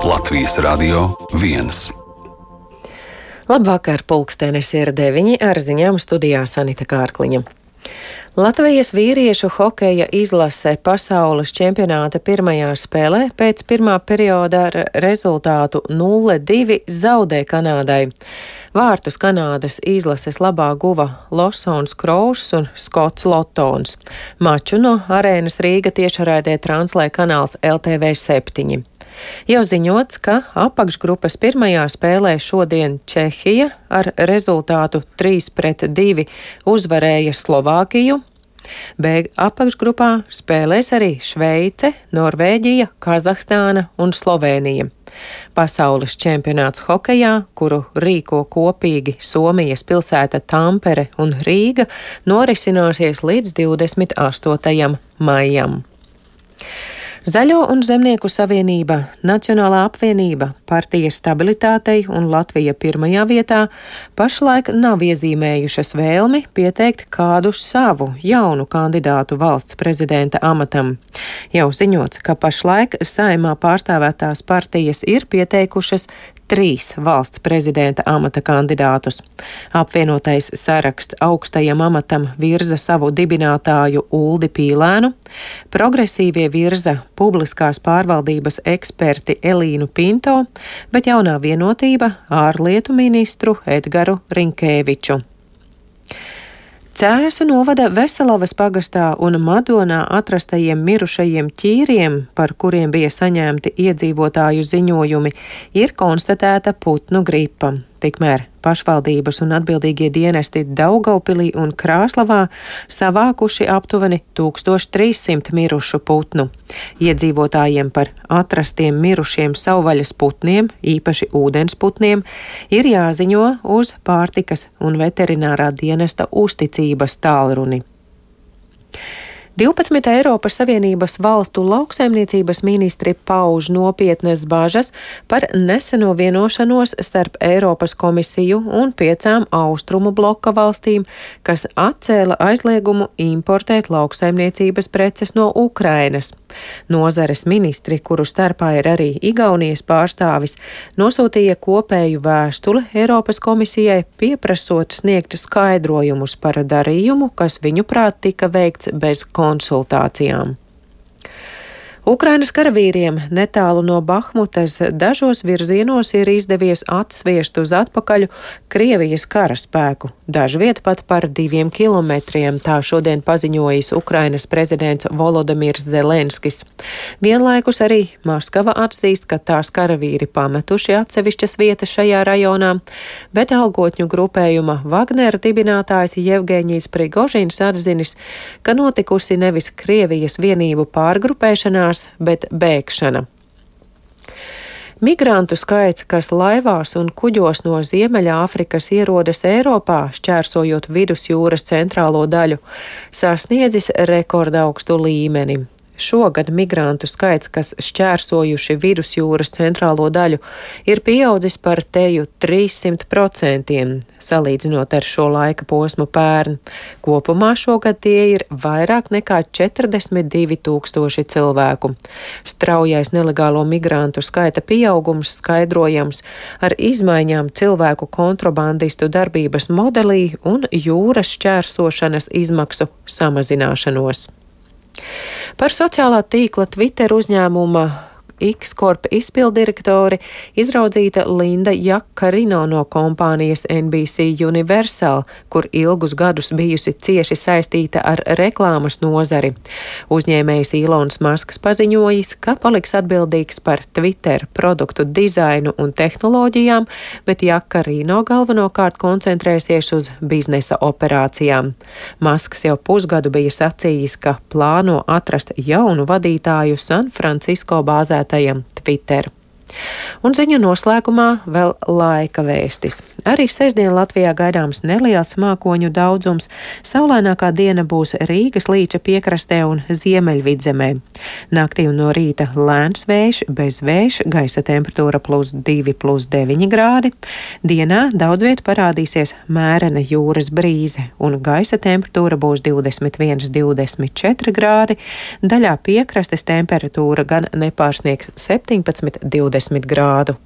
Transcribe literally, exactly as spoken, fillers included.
Latvijas Radio viens. Labvakar, pulkstenis ir deviņi, ar ziņām studijā Sanita Kārkliņa. Latvijas vīriešu hokeja izlase pasaules čempionāta pirmajā spēlē pēc pirmā perioda ar rezultātu nulle divi zaudē Kanādai. Vārtus Kanādas izlases labā guva Losons Krouss un Skots Lotons. Maču no arēnas Rīga tiešraidē translē kanāls L T V septiņi. Jau ziņots, ka apakšgrupas pirmajā spēlē šodien Čehija ar rezultātu trīs pret divi uzvarēja Slovākiju. B apakšgrupā spēlēs arī Šveice, Norvēģija, Kazahstāna un Slovēnija. Pasaules čempionāts hokejā, kuru rīko kopīgi Somijas pilsēta Tampere un Rīga, norisināsies līdz divdesmit astotajam maijam. Zaļo un zemnieku savienība, Nacionālā apvienība, partija Stabilitātei un Latvija pirmajā vietā pašlaik nav iezīmējušas vēlmi pieteikt kādu savu jaunu kandidātu valsts prezidenta amatam. Jau ziņots, ka pašlaik Saeimā pārstāvētās partijas ir pieteikušas trīs valsts prezidenta amata kandidātus. Apvienotais saraksts augstajam amatam virza savu dibinātāju Uldi Pīlēnu, progresīvie virza publiskās pārvaldības eksperti Elīnu Pinto, bet jaunā vienotība ārlietu ministru Edgaru Rinkēviču. Cēsu novada Veselavas pagastā un Madonā atrastajiem mirušajiem ķīriem, par kuriem bija saņemti iedzīvotāju ziņojumi, ir konstatēta putnu gripa. Tikmēr pašvaldības un atbildīgie dienesti Daugaupilī un Krāslavā savākuši aptuveni tūkstoš trīs simti mirušu putnu. Iedzīvotājiem par atrastiem mirušiem savvaļas putniem, īpaši ūdensputniem, ir jāziņo uz pārtikas un veterinārā dienesta uzticības tālruni. divpadsmit Eiropas Savienības valstu lauksaimniecības ministri pauž nopietnas bažas par neseno vienošanos starp Eiropas komisiju un piecām austrumu bloka valstīm, kas atcēla aizliegumu importēt lauksaimniecības preces no Ukrainas. Nozares ministri, kuru starpā ir arī Igaunijas pārstāvis, nosūtīja kopēju vēstuli Eiropas komisijai, pieprasot sniegt skaidrojumus par darījumu, kas viņuprāt tika veikts bez konsultācijām. Ukrainas karavīriem netālu no Bahmutas dažos virzienos ir izdevies atsviest uz atpakaļ Krievijas karaspēku, dažviet pat par diviem kilometriem, tā šodien paziņojis Ukrainas prezidents Volodimirs Zelenskis. Vienlaikus arī Maskava atzīst, ka tās karavīri pametuši atsevišķas vietas šajā rajonā, bet algotņu grupējuma Wagner dibinātājs Jevgeņijs Prigožins atzinis, ka notikusi nevis Krievijas vienību pārgrupēšanās, bet bēgšana. Migrantu skaits, kas laivās un kuģos no Ziemeļāfrikas ierodas Eiropā, šķērsojot vidusjūras centrālo daļu, sasniedzis rekordaugstu līmeni. Šogad migrantu skaits, kas šķērsojuši vidusjūras centrālo daļu, ir pieaudzis par teju trīssimt procentiem, salīdzinot ar šo laika posmu pērn. Kopumā šogad tie ir vairāk nekā četrdesmit divi tūkstoši cilvēku. Straujais nelegālo migrantu skaita pieaugums skaidrojams ar izmaiņām cilvēku kontrabandistu darbības modelī un jūras šķērsošanas izmaksu samazināšanos. Par sociālā tīkla Twitter uzņēmuma X-Corp izpildirektori izraudzīta Linda Jakarino no kompānijas N B C Universal, kur ilgus gadus bijusi cieši saistīta ar reklāmas nozari. Uzņēmējs Ilons Masks paziņojis, ka paliks atbildīgs par Twitter produktu dizainu un tehnoloģijām, bet Jakarino galvenokārt koncentrēsies uz biznesa operācijām. Masks jau pusgadu bija sacījis, ka plāno atrast jaunu vadītāju San Francisco bāzētājiem Twitter. Un ziņu noslēgumā vēl laika vēstis. Arī sestdien Latvijā gaidāms neliels mākoņu daudzums. Saulainākā diena būs Rīgas līča piekrastē un Ziemeļvidzemē. Naktī un no rīta lēns vējš, bez vējš, gaisa temperatūra plus divi, plus deviņi grādi. Dienā daudz viet parādīsies mērena jūras brīze un gaisa temperatūra būs divdesmit viens, divdesmit četri grādi. Daļā piekrastes temperatūra gan nepārsniegs septiņpadsmit, divdesmit astoņdesmit grādu.